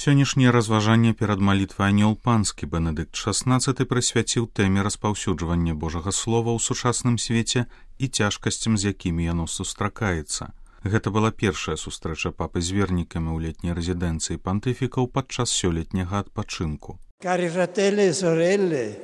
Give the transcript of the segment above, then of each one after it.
Сённяшняе разважанне перад малітвай анёл панскі Бенедыкт XVI прысвяціў тэме распаўсюджвання Божага Слова ў сучасным свеце і цяжкасцям, з якімі яно сустракаецца. Гэта была першая сустрэча папы з вернікамі ў летняй рэзідэнцыі пантыфікаў падчас сёлетняга адпачынку. Cari fratelli e sorelle,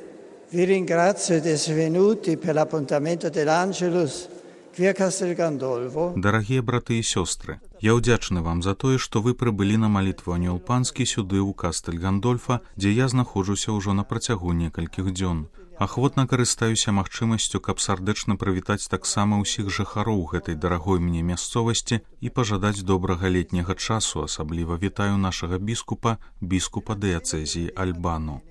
vi ringrazio di essere venuti per l'appuntamento dell'Angelus qui a Castel Gandolfo. Дарагія браты і сёстры, я ўдзячны вам за тое, што вы прыбылі на малітву анёл панскі сюды ў Кастель Гандольфа, дзе я знаходжуся ўжо на працягу некалькіх дзён. Ахвотна карыстаюся магчымасцю, каб сардэчна прывітаць таксама ўсіх жыхароў гэтай дарагой мне мясцовасці і пажадаць добрага летняга часу. Асабліва вітаю нашага біскупа дыяцэзіі Альбану.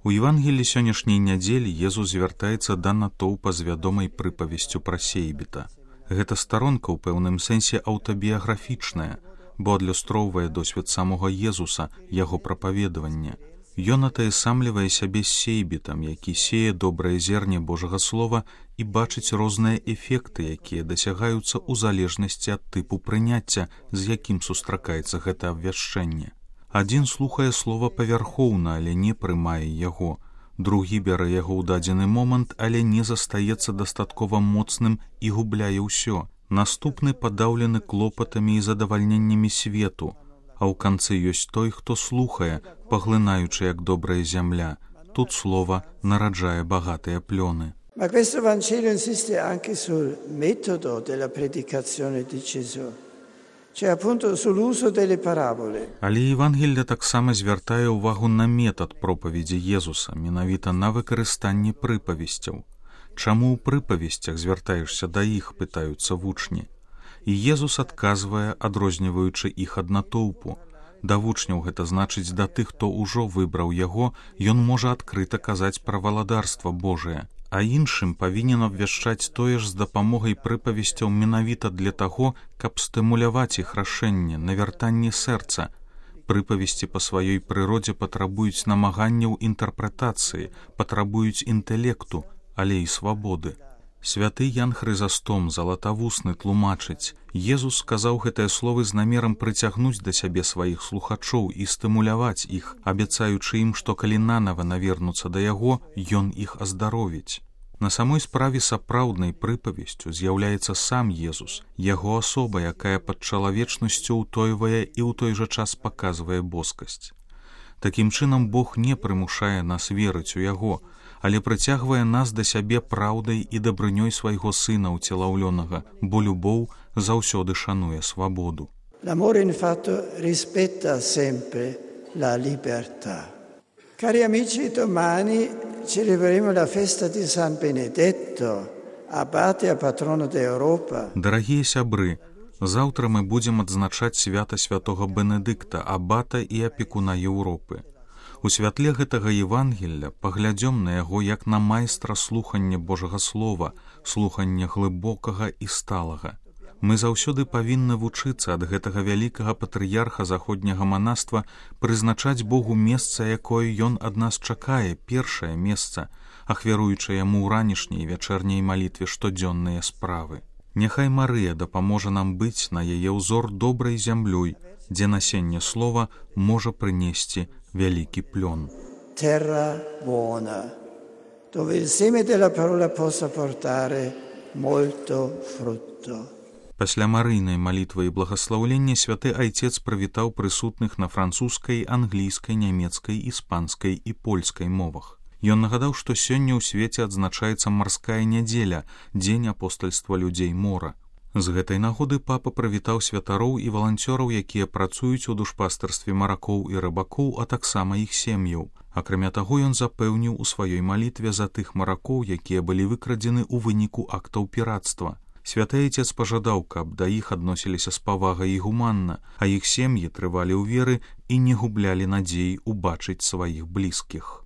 У Евангелі сённяшняй нядзелі Езус звяртаецца да натоўпа з вядомай прыпавесцю пра сейбіта. Гэта старонка ў пэўным сэнсе аўтабіяграфічная, бо адлюстроўвае досвед самога Езуса, яго прапаведавання. Ён атаясамлівае сябе з сейбітам, які сее добрае зерне Божага Слова і бачыць розныя эфекты, якія дасягаюцца ў залежнасці ад тыпу прыняцця, з якім сустракаецца гэта абвяшчэнне. Адзін слухае слова павярхоўна, але не прымае яго. Другі бярэ яго ў дадзены момант, але не застаецца дастаткова моцным і губляе ўсё. Наступны падаўлены клопатамі і задавальненнямі свету, а ў канцы ёсць той, хто слухае, паглынаючы як добрая зямля. Тут слова нараджае багатыя плёны. Ma questo Vangelo insiste anche sul metodo della predicazione di Gesù, cioè appunto sull'uso delle parabole. Але Евангелле таксама звяртае ўвагу на метад пропаведзі Езуса, менавіта на выкарыстанне прыпавесцяў. Чаму ў прыпавесцях звяртаешся да іх, пытаюцца вучні. І Езус адказвае, адрозніваючы іх ад натоўпу. Да вучняў гэта значыць да тых, хто ўжо выбраў яго, ён можа адкрыта казаць пра валадарства Божае, а іншым павінен абвяшчаць тое ж з дапамогай прыпавесцяў менавіта для таго, каб стымуляваць іх рашэнне, навяртанне сэрца. Прыпавесці па сваёй прыродзе патрабуюць намаганняў інтэрпрэтацыі, патрабуюць інтэлекту, але і свабоды. Святы Ян Хрызастом, залатавусны, тлумачыць: Езус сказаў гэтыя словы з намерам прыцягнуць да сябе сваіх слухачоў і стымуляваць іх, абяцаючы ім, што калі нанава навернуцца да яго, ён іх аздаровіць. На самой справе сапраўднай прыпавесцю з'яўляецца сам Езус, яго асоба, якая пад чалавечнасцю ўтойвае і ў той жа час паказвае боскасць. Такім чынам Бог не прымушае нас верыць у яго, але прыцягвае нас да сябе праўдай і дабрынёй свайго сына ўцелаўлёнага, бо любоў заўсёды шануе свабоду. L'amore infatti rispetta sempre la libertà. Cari amici, domani celebreremo la festa di San Benedetto, abate e patrono d'Europa. Дарагія сябры, заўтра мы будзем адзначаць свята святога Бенедыкта, абата і апекуна Еўропы. У святле гэтага Евангелля паглядзём на яго як на майстра слухання Божага Слова, слухання глыбокага і сталага. Мы заўсёды павінны вучыцца ад гэтага вялікага патрыярха заходняга манаства прызначаць Богу месца, якое ён ад нас чакае, першае месца, ахвяруючы яму ў ранішняй вячэрняй малітве штодзённыя справы. Няхай Марыя дапаможа нам быць на яе ўзор добрай зямлёй, дзе насенне слова можа прынесці вялікі плён. Terra buona, dove il seme della parola possa portare molto frutto. Пасля марыйнай малітвы і благаслаўлення святы айцец прывітаў прысутных на французскай, англійскай, нямецкай, іспанскай і польскай мовах. Ён нагадаў, што сёння ў свеце адзначаецца марская нядзеля, дзень апостальства людзей мора. З гэтай нагоды папа прывітаў святароў і валанцёраў, якія працуюць у душпастарстве маракоў і рыбакоў, а таксама іх сем'яў. Акрамя таго, ён запэўніў у сваёй малітве за тых маракоў, якія былі выкрадзены ў выніку актаў пірацтва. Святы айцец пажадаў, каб да іх адносіліся з павагай і гуманна, а іх сем'і трывалі ў веры і не гублялі надзеі ўбачыць сваіх блізкіх.